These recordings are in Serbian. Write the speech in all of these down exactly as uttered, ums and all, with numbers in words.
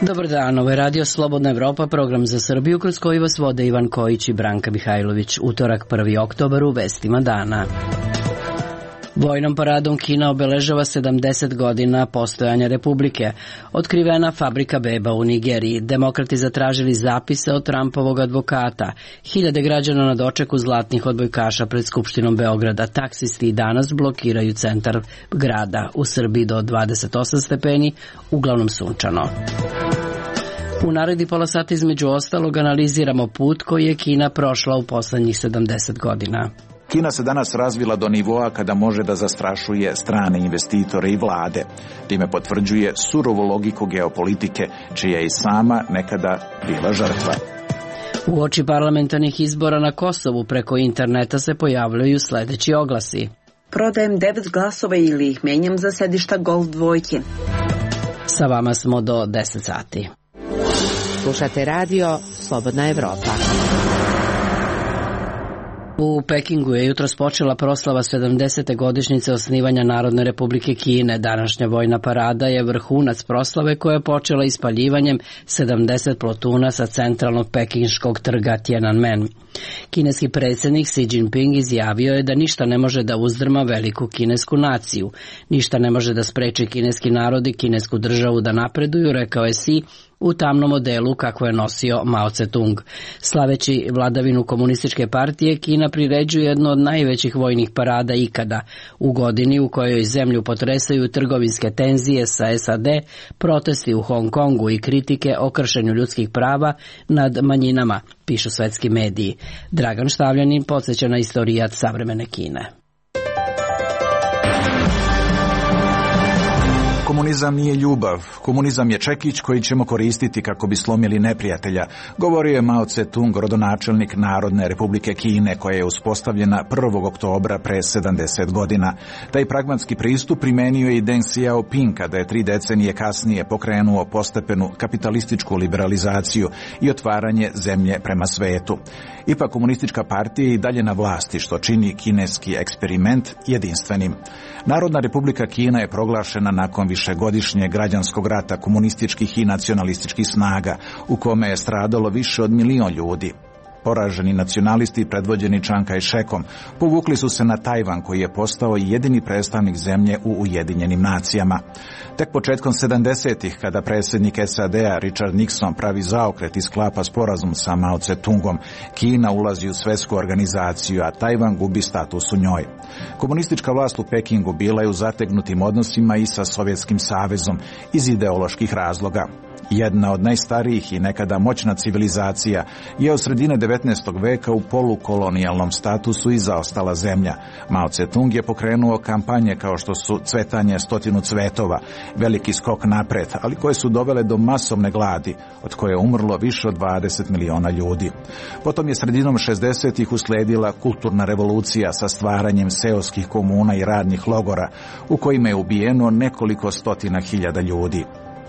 Dobar dan, ovo je Radio Slobodna Evropa, program za Srbiju kroz koji vas vode Ivan Kojić i Branka Mihajlović. Utorak prvi oktobar u vestima dana. Vojnom paradom Kina obeležava sedamdeset godina postojanja Republike. Otkrivena fabrika beba u Nigeriji. Demokrati zatražili zapise od Trumpovog advokata. Hiljade građana na dočeku zlatnih odbojkaša pred Skupštinom Beograda. Taksisti i danas blokiraju centar grada. U Srbiji do dvadeset osam stepeni, uglavnom sunčano. U naredni pola sata između ostalog analiziramo put koji je Kina prošla u poslednjih sedamdeset godina. Kina se danas razvila do nivoa kada može da zastrašuje strane investitore i vlade. Time potvrđuje surovu logiku geopolitike, čija je i sama nekada bila žrtva. U oči parlamentarnih izbora na Kosovu preko interneta se pojavljaju sledeći oglasi. Prodajem devet glasova ili ih menjam za sedišta golf dvojke. Sa vama smo do deset sati. Slušate radio Slobodna Evropa. U Pekingu je jutros počela proslava sedamdesete godišnjice osnivanja Narodne Republike Kine. Današnja vojna parada je vrhunac proslave koja je počela ispaljivanjem sedamdeset plotuna sa centralnog pekinškog trga Tiananmen. Kineski predsjednik Xi Jinping izjavio je da ništa ne može da uzdrma veliku kinesku naciju. Ništa ne može da spreči kineski narod i kinesku državu da napreduju, rekao je Xi u tamnom modelu kako je nosio Mao Tse-tung. Slaveći vladavinu komunističke partije, Kina priređuje jednu od najvećih vojnih parada ikada. U godini u kojoj zemlju potresaju trgovinske tenzije sa S A D, protesti u Hong Kongu i kritike o kršenju ljudskih prava nad manjinama, pišu svetski mediji. Dragan Štavljanin podsjeća na istorijat savremene Kine. Komunizam nije ljubav, komunizam je čekić koji ćemo koristiti kako bi slomili neprijatelja, govorio je Mao Tse-tung, rodonačelnik Narodne Republike Kine, koja je uspostavljena prvog oktobra pre sedamdeset godina. Taj pragmatski pristup primenio je i Deng Xiaoping kada je tri decenije kasnije pokrenuo postepenu kapitalističku liberalizaciju i otvaranje zemlje prema svetu. Ipak komunistička partija je i dalje na vlasti, što čini kineski eksperiment jedinstvenim. Narodna Republika Kina je proglašena nakon višegodišnjeg građanskog rata komunističkih i nacionalističkih snaga, u kome je stradalo više od milion ljudi. Poraženi nacionalisti predvođeni Chiang Kai-shekom povukli su se na Tajvan, koji je postao jedini predstavnik zemlje u Ujedinjenim nacijama. Tek početkom sedamdesetih, kada predsjednik S A D-a Richard Nixon pravi zaokret i sklapa sporazum sa Mao Tse-tungom, Kina ulazi u svetsku organizaciju, a Tajvan gubi status u njoj. Komunistička vlast u Pekingu bila je u zategnutim odnosima i sa Sovjetskim savezom iz ideoloških razloga. Jedna od najstarijih i nekada moćna civilizacija je od sredine devetnaestog veka u polukolonijalnom statusu i zaostala zemlja. Mao Tse-tung je pokrenuo kampanje kao što su cvetanje stotinu cvetova, veliki skok napred, ali koje su dovele do masovne gladi, od koje je umrlo više od dvadeset miliona ljudi. Potom je sredinom šezdesetih usledila kulturna revolucija sa stvaranjem seoskih komuna i radnih logora, u kojima je ubijeno nekoliko stotina hiljada ljudi.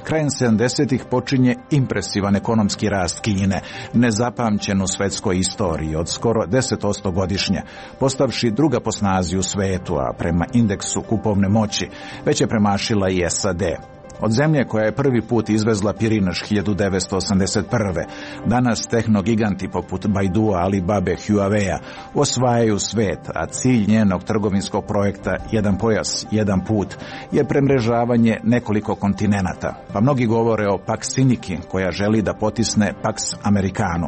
Krajem sedamdesetih počinje impresivan ekonomski rast Kine, nezapamćen u svetskoj istoriji od skoro deset posto godišnje, postavši druga po snazi u svetu, a prema indeksu kupovne moći već je premašila i S A D. Od zemlje koja je prvi put izvezla pirinaš hiljadu devetsto osamdeset prve. Danas tehnogiganti poput Baidua, Alibabe, Huawei-a osvajaju svet, a cilj njenog trgovinskog projekta Jedan pojas, jedan put je premrežavanje nekoliko kontinenata, pa mnogi govore o Pax Siniki, koja želi da potisne Pax Americanu.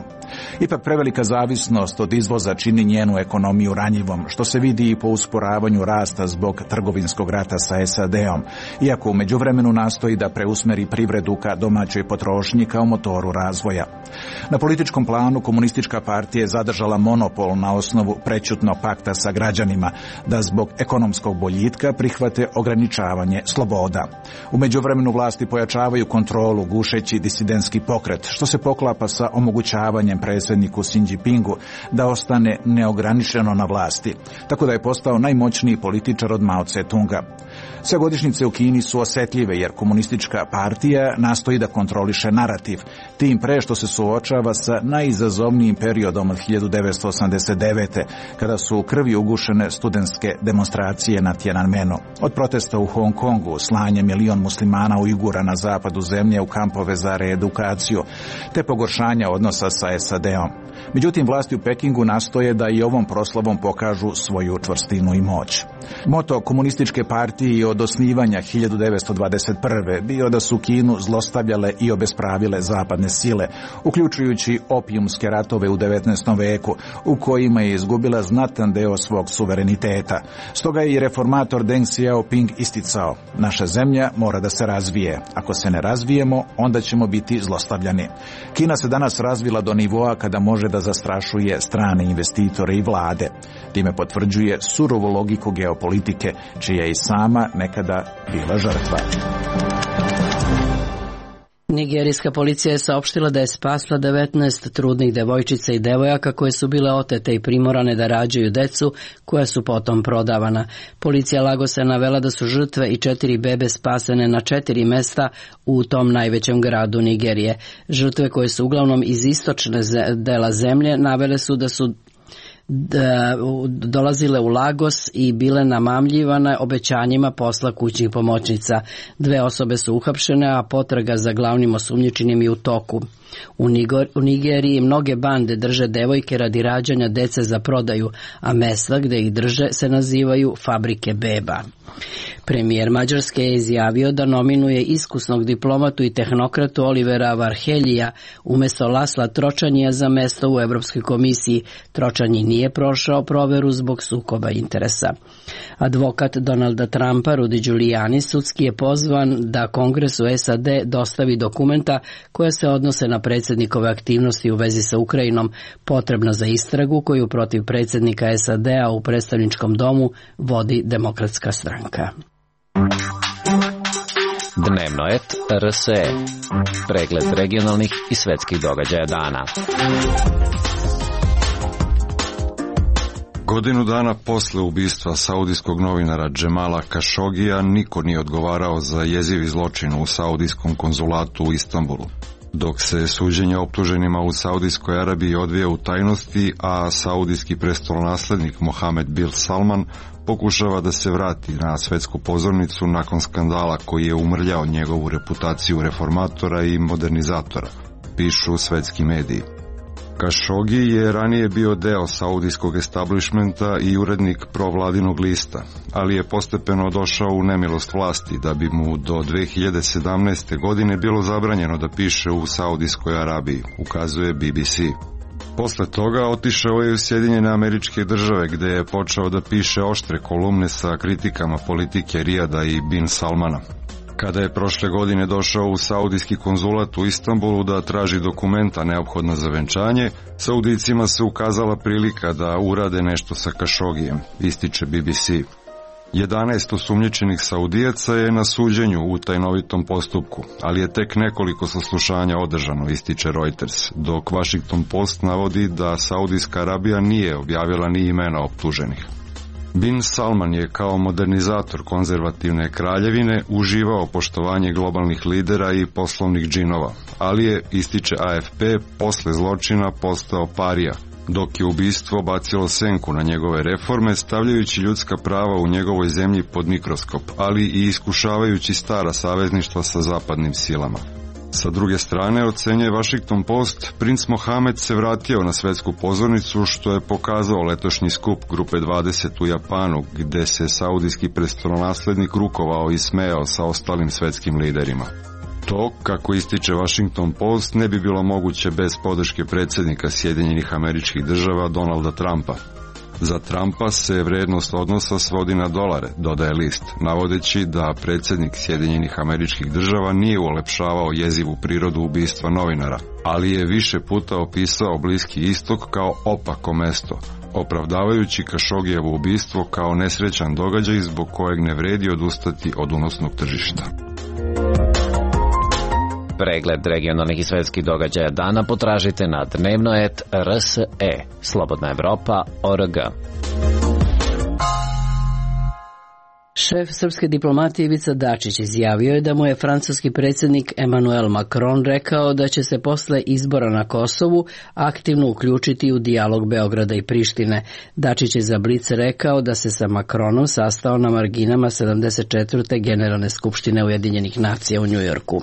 Ipak prevelika zavisnost od izvoza čini njenu ekonomiju ranjivom, što se vidi i po usporavanju rasta zbog trgovinskog rata sa S A D-om, iako u međuvremenu nastoji da preusmeri privredu ka domaćoj potrošnji kao motoru razvoja. Na političkom planu komunistička partija je zadržala monopol na osnovu prećutnog pakta sa građanima da zbog ekonomskog boljitka prihvate ograničavanje sloboda. U međuvremenu vlasti pojačavaju kontrolu gušeći disidentski pokret, što se poklapa sa omogućavanjem tadašnjem predsjedniku Xi Jinpingu da ostane neograničeno na vlasti, tako da je postao najmoćniji političar od Mao Tse-tunga. Sve godišnjice u Kini su osjetljive jer komunistička partija nastoji da kontroliše narativ, tim pre što se suočava sa najizazovnijim periodom od hiljadu devetsto osamdeset devete. kada su u krvi ugušene studentske demonstracije na Tiananmenu. Od protesta u Hong Kongu, slanje milion muslimana Ujgura na zapadu zemlje u kampove za reedukaciju, te pogoršanja odnosa sa S A D-om. Međutim, vlasti u Pekingu nastoje da i ovom proslavom pokažu svoju čvrstinu i moć. Moto komunističke partije od osnivanja hiljadu devetsto dvadeset prve. bio da su Kinu zlostavljale i obespravile zapadne sile, uključujući opijumske ratove u devetnaestom veku, u kojima je izgubila znatan deo svog suvereniteta. Stoga je i reformator Deng Xiaoping isticao: naša zemlja mora da se razvije. Ako se ne razvijemo, onda ćemo biti zlostavljani. Kina se danas razvila do nivoa kada može da zastrašuje strane investitore i vlade. Time potvrđuje surovu logiku geopolitike, čija je i sama nekada bila žrtva. Nigerijska policija je saopštila da je spasla devetnaest trudnih devojčica i devojaka koje su bile otete i primorane da rađaju decu, koja su potom prodavana. Policija Lagosa je navela da su žrtve i četiri bebe spasene na četiri mesta u tom najvećem gradu Nigerije. Žrtve, koje su uglavnom iz istočne dela zemlje, navele su da su Da, dolazile u Lagos i bile namamljivane obećanjima posla kućnih pomoćnica. Dve osobe su uhapšene, a potraga za glavnim osumnjičenim je u toku. U, Nigor, u Nigeriji mnoge bande drže devojke radi rađanja dece za prodaju, a mesta gde ih drže se nazivaju fabrike beba. Premijer Mađarske je izjavio da nominuje iskusnog diplomatu i tehnokratu Olivera Varheljija umesto Lasla Tročanija za mesto u Evropskoj komisiji. Tročanji nije prošao proveru zbog sukoba interesa. Advokat Donalda Trumpa, Rudy Giuliani, sudski je pozvan da Kongresu S A D dostavi dokumenta koja se odnose na predsjednikove aktivnosti u vezi sa Ukrajinom, potrebna za istragu koju protiv predsjednika S A D-a u predstavničkom domu vodi Demokratska stranka. Dnevno et R S E. Pregled regionalnih i svetskih događaja dana. Godinu dana posle ubistva saudijskog novinara Džemala Kašogija niko nije odgovarao za jezivi zločin u saudijskom konzulatu u Istanbulu. Dok se suđenje optuženima u Saudijskoj Arabiji odvija u tajnosti, a saudijski prestolonaslednik Mohamed bin Salman pokušava da se vrati na svetsku pozornicu nakon skandala koji je umrljao njegovu reputaciju reformatora i modernizatora, pišu svetski mediji. Kašogi je ranije bio deo saudijskog establishmenta i urednik provladinog lista, ali je postepeno došao u nemilost vlasti da bi mu do dve hiljade sedamnaeste. godine bilo zabranjeno da piše u Saudijskoj Arabiji, ukazuje B B C. Posle toga otišao je u Sjedinjene Američke Države, gde je počeo da piše oštre kolumne sa kritikama politike Rijada i bin Salmana. Kada je prošle godine došao u saudijski konzulat u Istanbulu da traži dokumenta neophodna za venčanje, Saudijcima se ukazala prilika da urade nešto sa Kašogijem, ističe B B C. jedanaest osumnjičenih Saudijaca je na suđenju u tajnovitom postupku, ali je tek nekoliko saslušanja održano, ističe Reuters, dok Washington Post navodi da Saudijska Arabija nije objavila ni imena optuženih. Bin Salman je kao modernizator konzervativne kraljevine uživao poštovanje globalnih lidera i poslovnih džinova, ali je, ističe A F P, posle zločina postao parija, dok je ubistvo bacilo senku na njegove reforme, stavljajući ljudska prava u njegovoj zemlji pod mikroskop, ali i iskušavajući stara savezništva sa zapadnim silama. Sa druge strane, ocenjuje Washington Post, princ Mohamed se vratio na svetsku pozornicu, što je pokazao letošnji skup Grupe dvadeset u Japanu, gde se saudijski prestolonaslednik rukovao i smejao sa ostalim svetskim liderima. To, kako ističe Washington Post, ne bi bilo moguće bez podrške predsjednika Sjedinjenih Američkih Država Donalda Trumpa. Za Trumpa se vrednost odnosa svodi na dolare, dodaje list, navodeći da predsjednik Sjedinjenih Američkih Država nije ulepšavao jezivu prirodu ubistva novinara, ali je više puta opisao Bliski istok kao opako mesto, opravdavajući Kašogijevo ubistvo kao nesrećan događaj zbog kojeg ne vredi odustati od unosnog tržišta. Pregled regionalnih i svetskih događaja dana potražite na dnevnoet R S E, Slobodna Evropa, O R G. Šef srpske diplomatije Ivica Dačić izjavio je da mu je francuski predsjednik Emmanuel Macron rekao da će se posle izbora na Kosovu aktivno uključiti u dijalog Beograda i Prištine. Dačić je za Blic rekao da se sa Macronom sastao na marginama sedamdeset četvrte Generalne skupštine Ujedinjenih nacija u Njujorku.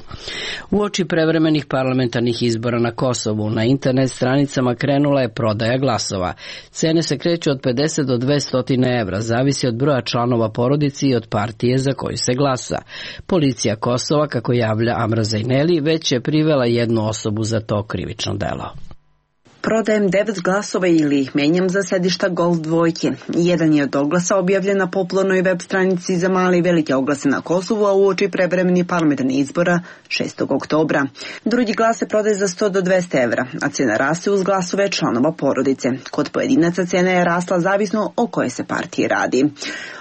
Uoči prevremenih parlamentarnih izbora na Kosovu na internet stranicama krenula je prodaja glasova. Cene se kreću od pedeset do dvesta evra, zavisi od broja članova porodice i od partije za koju se glasa. Policija Kosova, kako javlja Amra Zajneli, već je privela jednu osobu za to krivično delo. Prodajem devet glasova ili ih menjam za sedišta golf dvojke. Jedan je od oglasa objavljen na popularnoj web stranici za male i velike oglase na Kosovu, a uoči prevremeni parlamentarnih izbora šestog oktobra. Drugi glas se prodaje za sto do dvesta evra, a cena raste uz glasove članova porodice. Kod pojedinaca cena je rasla zavisno o koje se partije radi.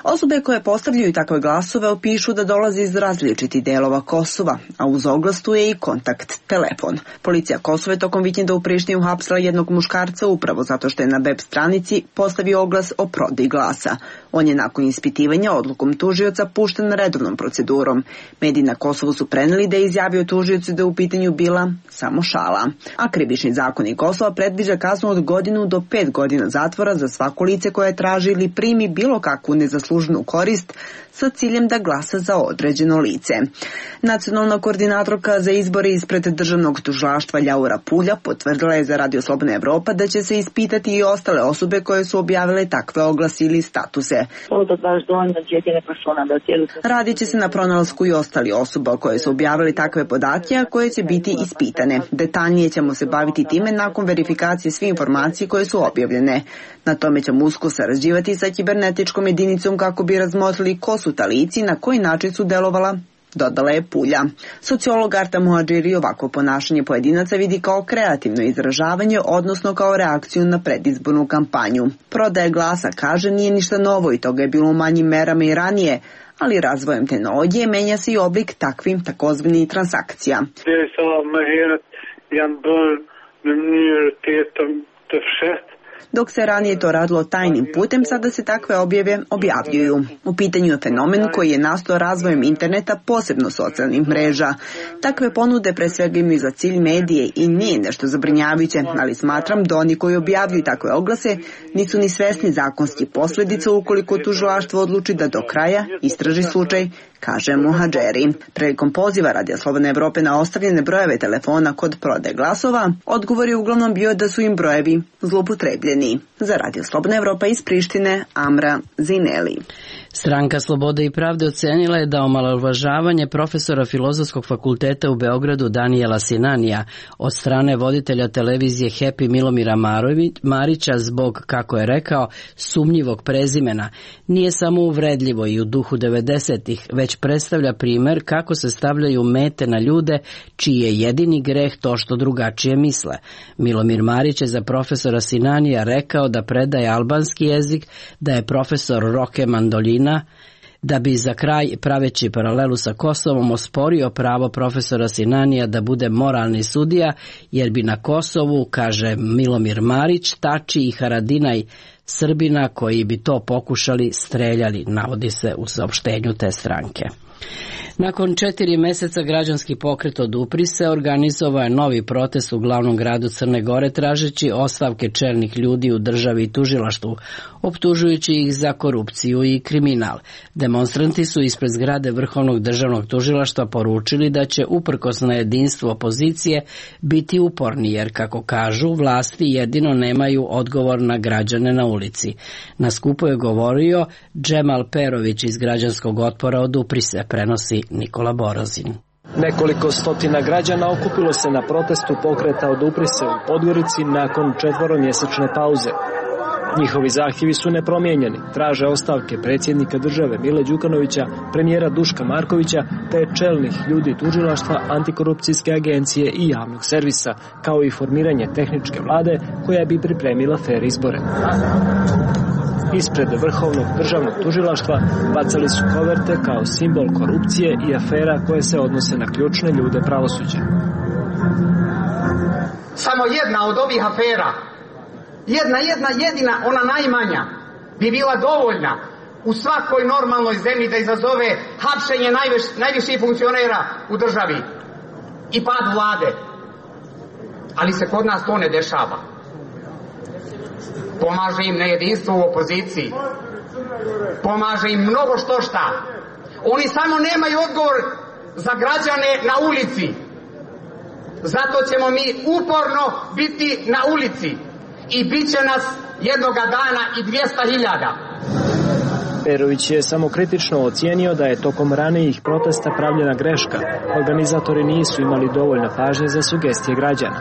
Osobe koje postavljaju takve glasove opišu da dolaze iz različitih delova Kosova, a uz oglas tu je i kontakt telefon. Policija Kosova je tokom vikenda u Prištini uhapsila jednog muškarca upravo zato što je na web stranici postavio oglas o prodaji glasa. On je nakon ispitivanja odlukom tužioca pušten redovnom procedurom. Mediji na Kosovu su preneli da je izjavio tužiocu da je u pitanju bila samo šala. A krivični zakonik Kosova predviđa kaznu od godinu do pet godina zatvora za svako lice koje traži ili primi bilo kakvu nezasluženu korist sa ciljem da glasa za određeno lice. Nacionalna koordinatorka za izbore ispred državnog tužilaštva Ljaura Pulja potvrdila je za Radio Slobodna Evropa da će se ispitati i ostale osobe koje su objavile takve oglase ili statuse. Radit će se na pronalasku i ostali osoba koje su objavili takve podatke, a koje će biti ispitane. Detaljnije ćemo se baviti time nakon verifikacije svih informacija koje su objavljene. Na tome ćemo usko sarađivati sa kibernetičkom jedinicom kako bi razmotrili ko su ta lica i na koji način su delovala, dodala je Pulja. Sociolog Arta Muadžiri ovakvo ponašanje pojedinaca vidi kao kreativno izražavanje, odnosno kao reakciju na predizbornu kampanju. Prodaja glasa, kaže, nije ništa novo i toga je bilo u manjim merama i ranije, ali razvojem tehnologije menja se i oblik takvim takozvanih transakcija. Dok se ranije to radilo tajnim putem, sada se takve objave objavljuju. U pitanju je fenomen koji je nastao razvojem interneta, posebno socijalnih mreža. Takve ponude pre svega imaju za cilj medije i nije nešto zabrinjavajuće, ali smatram da oni koji objavljuju takve oglase nisu ni svesni zakonskih posljedica ukoliko tužilaštvo odluči da do kraja istraži slučaj, kaže Muhadžeri. Prilikom poziva Radio Slobodne Evrope na ostavljene brojeve telefona kod prodaje glasova, odgovor je uglavnom bio da su im brojevi zloupotrebljeni. Za Radio Slobodna Evropa iz Prištine, Amra Zineli. Stranka Slobode i pravde ocenila je da omalovažavanje profesora Filozofskog fakulteta u Beogradu Danijela Sinanija od strane voditelja televizije Happy Milomira Marića zbog, kako je rekao, sumnjivog prezimena nije samo uvredljivo i u duhu devedesetih, već predstavlja primer kako se stavljaju mete na ljude čiji je jedini greh to što drugačije misle. Milomir Marić je za profesora Sinanija rekao da predaje albanski jezik, da je profesor roke mandolina, da bi za kraj, praveći paralelu sa Kosovom, osporio pravo profesora Sinanija da bude moralni sudija, jer bi na Kosovu, kaže Milomir Marić, Tači i Haradinaj Srbina koji bi to pokušali streljali, navodi se u saopštenju te stranke. Nakon četiri meseca građanski pokret Odupri se organizovao je novi protest u glavnom gradu Crne Gore tražeći ostavke čelnih ljudi u državi i tužilaštvu, optužujući ih za korupciju i kriminal. Demonstranti su ispred zgrade Vrhovnog državnog tužilaštva poručili da će uprkos na jedinstvo opozicije biti uporni jer, kako kažu, vlasti jedino nemaju odgovor na građane na ulici. Na skupu je govorio Džemal Perović iz građanskog otpora Odupri se, prenosi Nikola Borazin. Nekoliko stotina građana okupilo se na protestu pokreta Odupri se u Podgorici nakon četvoromjesečne pauze. Njihovi zahtjevi su nepromijenjeni. Traže ostavke predsjednika države Mile Đukanovića, premijera Duška Markovića te čelnih ljudi tužilaštva, antikorupcijske agencije i javnog servisa, kao i formiranje tehničke vlade koja bi pripremila fer izbore. Ispred Vrhovnog državnog tužilaštva bacali su koverte kao simbol korupcije i afera koje se odnose na ključne ljude pravosuđa. Samo jedna od ovih afera, jedna, jedna, jedina, ona najmanja, bi bila dovoljna u svakoj normalnoj zemlji da izazove hapšenje najviš, najviših funkcionera u državi i pad vlade. Ali se kod nas to ne dešava. Pomaže im nejedinstvo u opoziciji. Pomaže im mnogo što šta. Oni samo nemaju odgovor za građane na ulici. Zato ćemo mi uporno biti na ulici. I bit će nas jednoga dana i dvjesto hiljada. Perović je samokritično ocijenio da je tokom ranijih protesta pravljena greška. Organizatori nisu imali dovoljno pažnje za sugestije građana.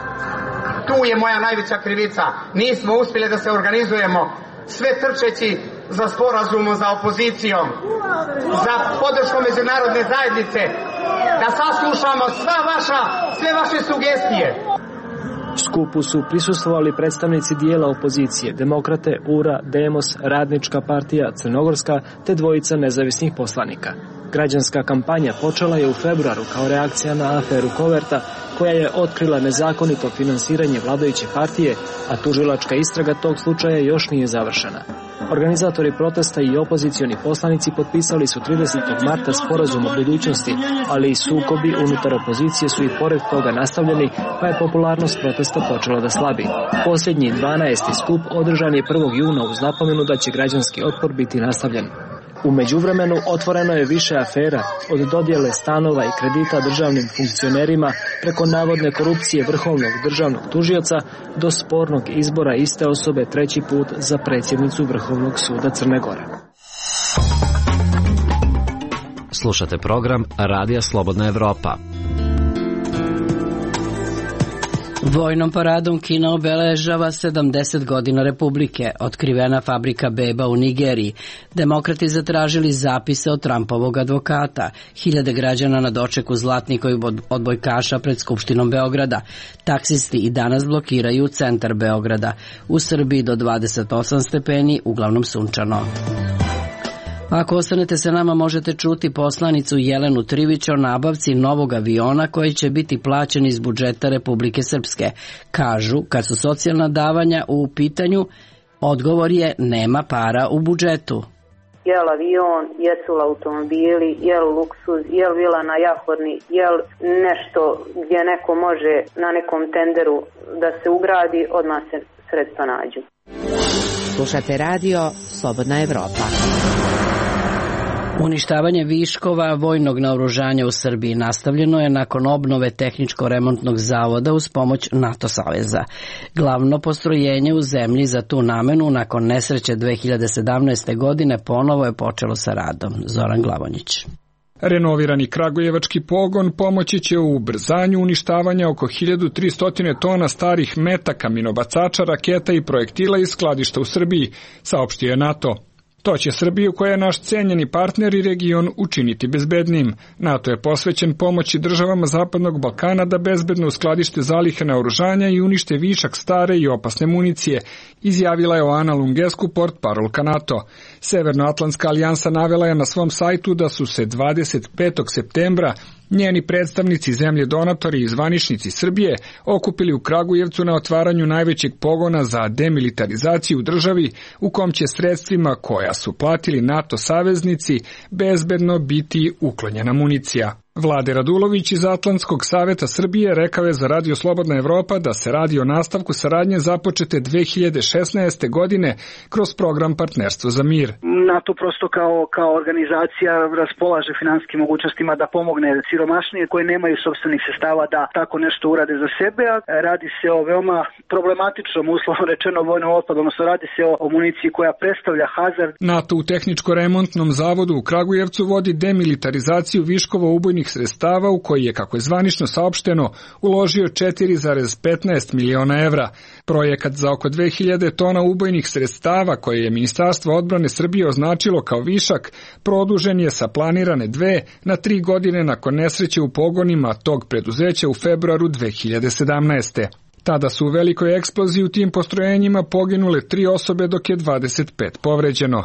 Tu je moja najveća krivica. Nismo uspjeli da se organizujemo, sve trčeći za sporazumom, za opozicijom, za podrškom međunarodne zajednice, da saslušamo sva vaša, sve vaše sugestije. Skupu su prisustvovali predstavnici dijela opozicije, Demokrate, U R A, Demos, Radnička partija, Crnogorska te dvojica nezavisnih poslanika. Građanska kampanja počela je u februaru kao reakcija na aferu Koverta, koja je otkrila nezakonito finansiranje vladajuće partije, a tužilačka istraga tog slučaja još nije završena. Organizatori protesta i opozicioni poslanici potpisali su tridesetog marta sporazum o budućnosti, ali i sukobi unutar opozicije su i pored toga nastavljeni, pa je popularnost protesta počela da slabi. Posljednji dvanaesti skup održan je prvog juna uz napomenu da će građanski otpor biti nastavljen. U međuvremenu otvoreno je više afera, od dodjele stanova i kredita državnim funkcionerima preko navodne korupcije vrhovnog državnog tužioca do spornog izbora iste osobe treći put za predsjednicu Vrhovnog suda Crne Gore. Slušate program Radija Slobodna Evropa. Vojnom paradom Kina obeležava sedamdeset godina Republike, otkrivena fabrika beba u Nigeriji. Demokrati zatražili zapise od Trumpovog advokata, hiljade građana na dočeku zlatnikovih odbojkaša pred Skupštinom Beograda. Taksisti i danas blokiraju centar Beograda. U Srbiji do dvadeset osam stepeni, uglavnom sunčano. Ako ostanete sa nama, možete čuti poslanicu Jelenu Trivić o nabavci novog aviona koji će biti plaćen iz budžeta Republike Srpske. Kažu, kad su socijalna davanja u pitanju, odgovor je nema para u budžetu. Jel avion, jesu li automobili, jel luksuz, jel vila na Jahorni, jel nešto gdje neko može na nekom tenderu da se ugradi, odmah se sredstva nađu. Slušate radio Slobodna Evropa. Uništavanje viškova vojnog naoružanja u Srbiji nastavljeno je nakon obnove tehničko-remontnog zavoda uz pomoć NATO saveza. Glavno postrojenje u zemlji za tu namenu nakon nesreće dve hiljade sedamnaeste. godine ponovo je počelo sa radom. Zoran Glavonjić. Renovirani kragujevački pogon pomoći će u ubrzanju uništavanja oko hiljadu tristo tona starih metaka, minobacača, raketa i projektila iz skladišta u Srbiji, saopštio je NATO. To će Srbiju, koja je naš cenjeni partner i region, učiniti bezbednim. NATO je posvećen pomoći državama Zapadnog Balkana da bezbedno uskladište zalihe naoružanja i unište višak stare i opasne municije, izjavila je Oana Lungescu, portparolka NATO. Severnoatlantska alijansa navela je na svom sajtu da su se dvadeset petog septembra njeni predstavnici zemlje donatori i zvaničnici Srbije okupili u Kragujevcu na otvaranju najvećeg pogona za demilitarizaciju u državi, u kom će sredstvima koja su platili NATO saveznici bezbedno biti uklonjena municija. Vlade Radulović iz Atlantskog saveta Srbije rekao je za Radio Slobodna Evropa da se radi o nastavku saradnje započete dve hiljade šesnaeste. godine kroz program Partnerstvo za mir. NATO prosto kao, kao organizacija raspolaže finansijskim mogućnostima da pomogne siromašnije koje nemaju sopstvenih sredstava da tako nešto urade za sebe, a radi se o veoma problematičnom, uslovno rečeno, vojnom otpadu, odnosno radi se o, o municiji koja predstavlja hazard. NATO u tehničko-remontnom zavodu u Kragujevcu vodi demilitarizaciju viškova ubojnih sredstava u koji je, kako je zvanično saopšteno, uložio četiri zarez petnaest miliona evra. Projekat za oko dve hiljade tona ubojnih sredstava koje je Ministarstvo odbrane Srbije označilo kao višak, produžen je sa planirane dve na tri godine nakon nesreće u pogonima tog preduzeća u februaru dve hiljade sedamnaeste. Tada su u velikoj eksploziji u tim postrojenjima poginule tri osobe dok je dvadeset pet povređeno.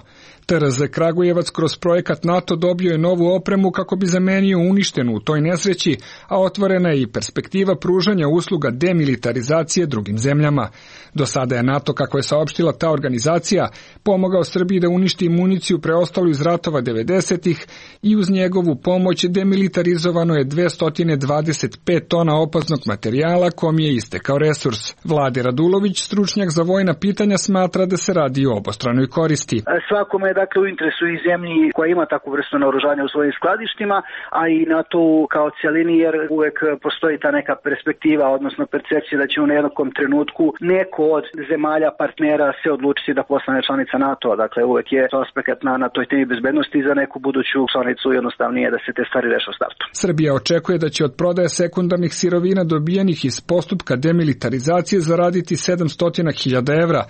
T R Z Kragujevac kroz projekat NATO dobio je novu opremu kako bi zamenio uništenu u toj nesreći, a otvorena je i perspektiva pružanja usluga demilitarizacije drugim zemljama. Do sada je NATO, kako je saopštila ta organizacija, pomogao Srbiji da uništi municiju preostalu iz ratova devedesetih i uz njegovu pomoć demilitarizovano je dvesta dvadeset pet tona opasnog materijala kom je istekao resurs. Vlade Radulović, stručnjak za vojna pitanja, smatra da se radi o obostranoj koristi. Svakome je dakle u interesu i zemlji koja ima takvu vrstu naoružanja u svojim skladištima, a i NATO kao cijelini, jer uvek postoji ta neka perspektiva, odnosno percepcija da će u nekom trenutku neko od zemalja partnera se odlučiti da postane članica NATO. Dakle, uvek je aspekt na, na toj temi bezbednosti za neku buduću članicu jednostavnije da se te stvari reše u startu. Srbija očekuje da će od prodaje sekundarnih sirovina dobijenih iz postupka demilitarizacije zaraditi sedamsto hiljada evra,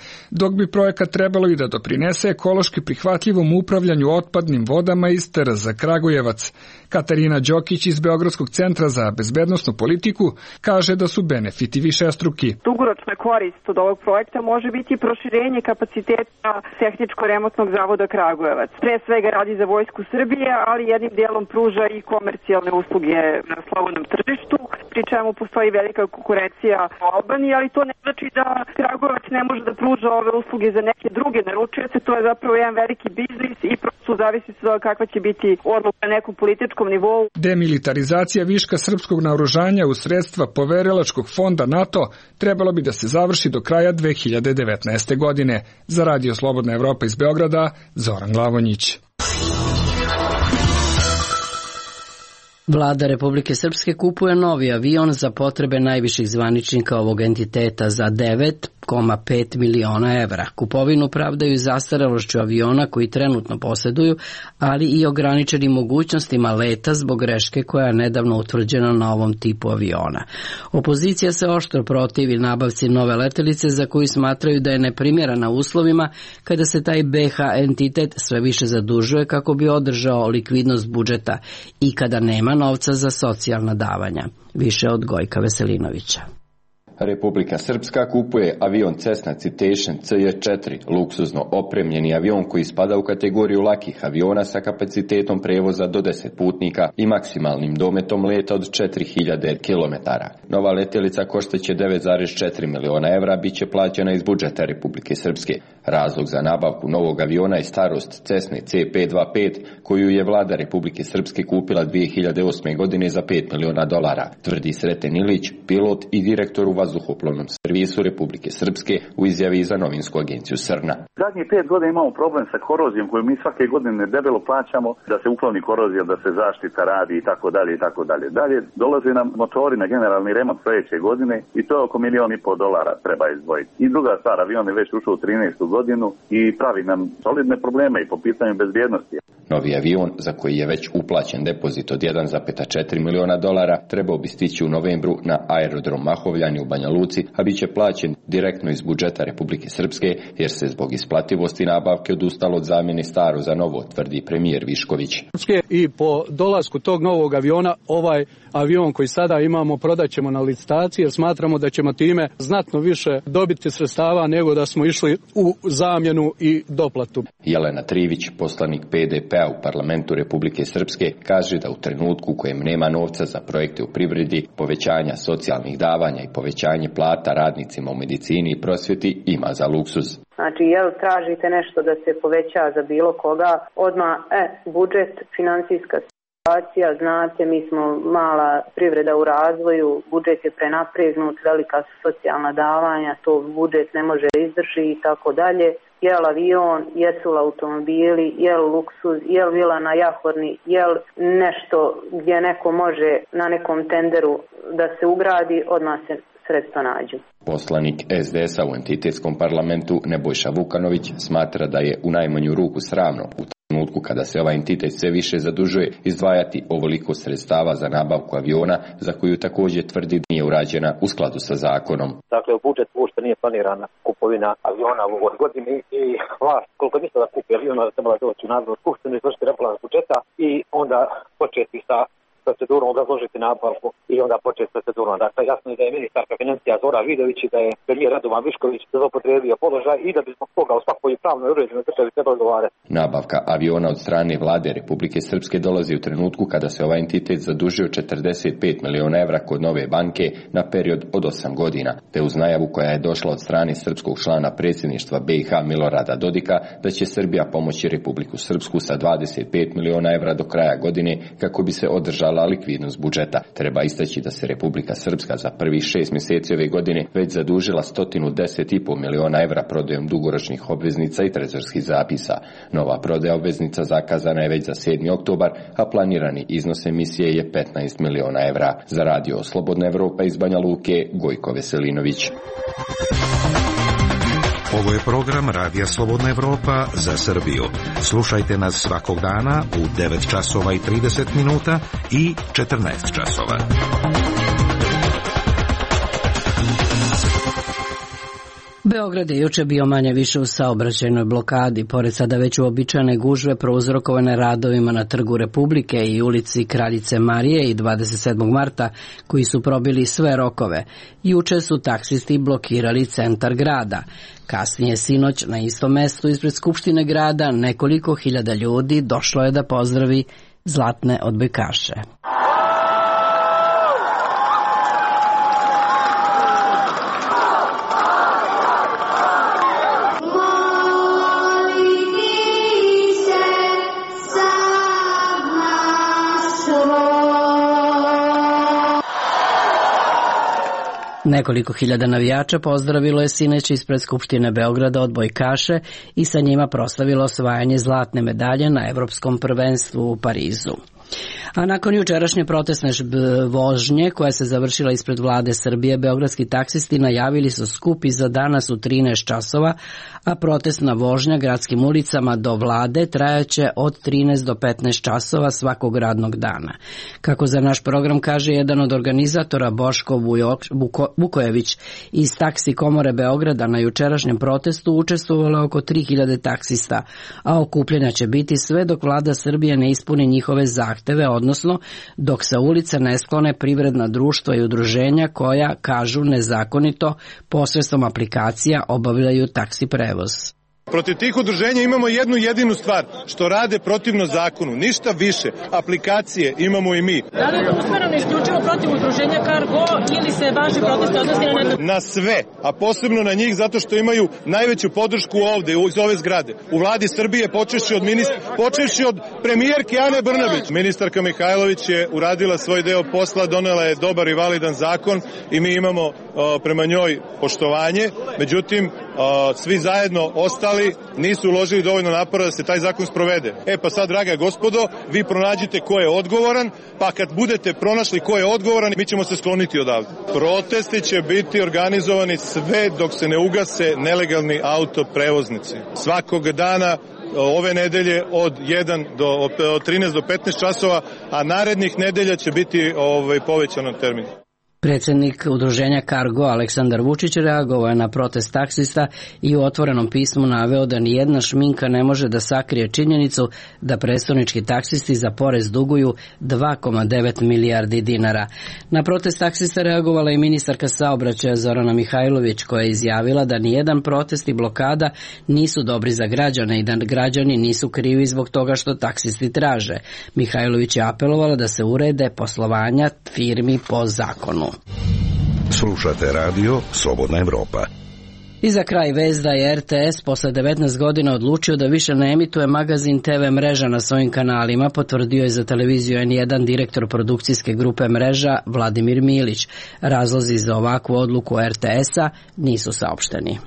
dok bi projekat trebalo i da doprinese ekološki prihvatljivom upravljanju otpadnim vodama iz T R Z Kragujevac. Katarina Đokić iz Beogradskog centra za bezbednosnu politiku kaže da su benefiti višestruki. Dugoročna korist od ovog projekta može biti proširenje kapaciteta Tehničko-remontnog zavoda Kragujevac. Pre svega radi za Vojsku Srbije, ali jednim dijelom pruža i komercijalne usluge na slobodnom tržištu, pri čemu postoji velika konkurencija u Albaniji, ali to ne znači da Kragujevac ne može da pruža ove usluge za neke druge naručioce. To je zapravo jedan veliki biznis i prosto zavisi se da kakva će biti odluka na nekom političkom nivou. Demilitarizacija viška srpskog naoružanja u sredstva poverilačkog fonda NATO trebalo bi da se završi do kraja dve hiljade devetnaeste. godine. Za Radio Slobodna Evropa iz Beograda, Zoran Glavonjić. Vlada Republike Srpske kupuje novi avion za potrebe najviših zvaničnika ovog entiteta za devet zarez pet miliona evra. Kupovinu pravdaju i zastarelošću aviona koji trenutno poseduju, ali i ograničenim mogućnostima leta zbog greške koja je nedavno utvrđena na ovom tipu aviona. Opozicija se oštro protivi nabavci nove letelice za koju smatraju da je neprimjerena uslovima kada se taj B H entitet sve više zadužuje kako bi održao likvidnost budžeta i kada nema novca za socijalna davanja. Više od Gojka Veselinovića. Republika Srpska kupuje avion Cessna Citation C J četiri, luksuzno opremljeni avion koji spada u kategoriju lakih aviona sa kapacitetom prevoza do deset putnika i maksimalnim dometom leta od četiri hiljade kilometara. Nova letjelica koštaće devet zarez četiri miliona evra, bit će plaćena iz budžeta Republike Srpske. Razlog za nabavku novog aviona je starost Cessne C pet dvadeset pet, koju je vlada Republike Srpske kupila dve hiljade osme. godine za pet miliona dolara, tvrdi Sreten Ilić, pilot i direktor u vazduhoplovnom servisu Republike Srpske u izjavi za novinsku agenciju Srna. Zadnjih pet godina imamo problem sa korozijom koju mi svake godine debelo plaćamo da se ukloni korozija, da se zaštita radi i tako dalje i tako dalje. Dalje dolaze nam motori na generalni remont sledeće godine i to je oko milion i pol dolara treba izdvojiti. I druga stvar, avion je već ušao u trinaestu godinu i pravi nam solidne probleme i po pitanju bezbjednosti. Novi avion, za koji je već uplaćen depozit od jedan zarez četiri miliona dolara, trebao bi stići u novembru na aerodrom Mahovljani u Banja Luci, a bit će plaćen direktno iz budžeta Republike Srpske, jer se zbog isplativosti nabavke odustalo od zamjene staro za novo, tvrdi premijer Višković. I po dolasku tog novog aviona, ovaj avion koji sada imamo prodat ćemo na licitaciji, jer smatramo da ćemo time znatno više dobiti sredstava nego da smo išli u zamjenu i doplatu. Jelena Trivić, poslanik P D P-a u parlamentu Republike Srpske, kaže da u trenutku u kojem nema novca za projekte u privredi, povećanja socijalnih davanja i povećanje plata radnicima u medicini i prosvjeti ima za luksuz. Znači, jel tražite nešto da se poveća za bilo koga, odmah, e, budžet, financijska situacija, znate, mi smo mala privreda u razvoju, budžet je prenapregnut, velika su socijalna davanja, to budžet ne može izdrži i tako dalje. Jel avion, jesu li automobili, jel luksuz, jel vila na Jahorni, jel nešto gdje neko može na nekom tenderu da se ugradi, odmah se sredstva nađu. Poslanik S D S-a u entitetskom parlamentu Nebojša Vukanović smatra da je u najmanju ruku sramno u trenutku trenutku kada se ovaj entitet sve više zadužuje, izdvajati ovoliko sredstava za nabavku aviona, za koju također tvrdi nije urađena u skladu sa zakonom. Dakle, u budžetu uopšte nije planirana kupovina aviona u ovoj godini i vlast, koliko misle da kupi aviona, da trebala doći u Narodnu skupštinu, izvršiti rebalans budžeta i onda početi sa procedurom, obrazložiti nabavku i onda početi s procedurom. Dakle, jasno je da je ministarka financija Zora Vidović i da je premijer Radovan Višković zloupotrijebio položaj i da bi zbog toga u svakoj pravnoj uređenoj državi trebalo odgovarati. Nabavka aviona od strane vlade Republike Srpske dolazi u trenutku kada se ovaj entitet zadužio četrdeset pet miliona evra kod Nove banke na period od osam godina, te uz najavu koja je došla od strane srpskog člana predsjedništva B i H Milorada Dodika da će Srbija pomoći Republiku Srpsku sa dvadeset pet miliona evra do kraja godine kako bi se održala likvidnost budžeta. Treba istaći da se Republika Srpska za prvih šest mjeseci ove godine već zadužila sto deset i pol miliona evra prodajom dugoročnih obveznica i trezorskih zapisa. Nova prodaja obveznica zakazana je već za sedmi oktobar, a planirani iznos emisije je petnaest miliona evra. Za radio Slobodna Evropa iz Banja Luke, Gojko Veselinović. Ovo je program Radija Slobodna Evropa za Srbiju. Slušajte nas svakog dana u devet časova i trideset minuta i četrnaest časova. Beograd je juče bio manje više u saobraćajnoj blokadi, pored sada već uobičajene gužve prouzrokovane radovima na Trgu Republike i ulici Kraljice Marije i dvadeset sedmog marta, koji su probili sve rokove. Juče su taksisti blokirali centar grada. Kasnije sinoć na istom mestu ispred Skupštine grada nekoliko hiljada ljudi došlo je da pozdravi zlatne odbojkaše. Nekoliko hiljada navijača pozdravilo je sinoć ispred Skupštine Beograda odbojkaše i sa njima proslavilo osvajanje zlatne medalje na Evropskom prvenstvu u Parizu. A nakon jučerašnje protestne vožnje koja se završila ispred vlade Srbije, beogradski taksisti najavili su skup i za danas u trinaest časova, a protestna vožnja gradskim ulicama do vlade trajaće od trinaest do petnaest časova svakog radnog dana. Kako za naš program kaže jedan od organizatora, Boško Vukojević iz Taksi komore Beograda, na jučerašnjem protestu učestvovalo oko tri hiljade taksista, a okupljanja će biti sve dok vlada Srbije ne ispuni njihove zahteve, odnosno dok se ulica ne sklone privredna društva i udruženja koja, kažu, nezakonito posredstvom aplikacija obavljaju taksi prevoz. Protiv tih udruženja imamo jednu jedinu stvar, što rade protivno zakonu, ništa više. Aplikacije imamo i mi. Da li je to usmereno isključivo protiv udruženja Cargo ili se vaši protesti odnosi na neko? Na sve, a posebno na njih zato što imaju najveću podršku ovde, iz ove zgrade. U vladi Srbije, počevši od, ministra, počevši od premijerke Ane Brnabić. Ministarka Mihajlović je uradila svoj deo posla, donela je dobar i validan zakon i mi imamo o, prema njoj poštovanje. Međutim, o, svi zajedno ostali nisu uložili dovoljno napora da se taj zakon sprovede. E pa sad, draga gospodo, vi pronađite ko je odgovoran, pa kad budete pronašli ko je odgovoran, mi ćemo se skloniti odavde. Protesti će biti organizovani sve dok se ne ugase nelegalni autoprevoznici. Svakog dana ove nedelje od jedan do od trinaest do petnaest časova, a narednih nedelja će biti ovaj povećan termin. Predsjednik udruženja Cargo Aleksandar Vučić reagovao je na protest taksista i u otvorenom pismu naveo da nijedna šminka ne može da sakrije činjenicu da prestonički taksisti za porez duguju dva zarez devet milijardi dinara. Na protest taksista reagovala i ministarka saobraćaja Zorana Mihajlović, koja je izjavila da nijedan protest i blokada nisu dobri za građane i da građani nisu krivi zbog toga što taksisti traže. Mihajlović je apelovala da se urede poslovanja firmi po zakonu. Slušate radio Slobodna Evropa. I za kraj vest da je R T S posle devetnaest godina odlučio da više ne emituje magazin T V mreža na svojim kanalima, potvrdio je za televiziju N jedan direktor produkcijske grupe mreža Vladimir Milić. Razlozi za ovakvu odluku R T S-a nisu saopšteni.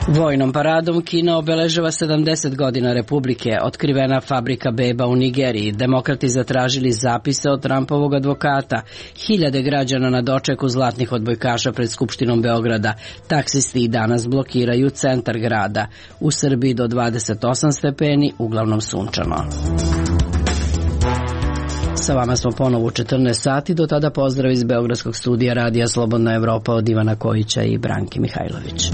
Vojnom paradom Kina obeležava sedamdeset godina Republike, otkrivena fabrika beba u Nigeriji, demokrati zatražili zapise od Trumpovog advokata, hiljade građana na dočeku zlatnih odbojkaša pred Skupštinom Beograda, taksisti i danas blokiraju centar grada, u Srbiji do dvadeset osam stepeni, uglavnom sunčano. Sa vama smo ponovo u četrnaest sati, do tada pozdrav iz Beogradskog studija Radija Slobodna Evropa od Ivana Kojića i Branke Mihajlović.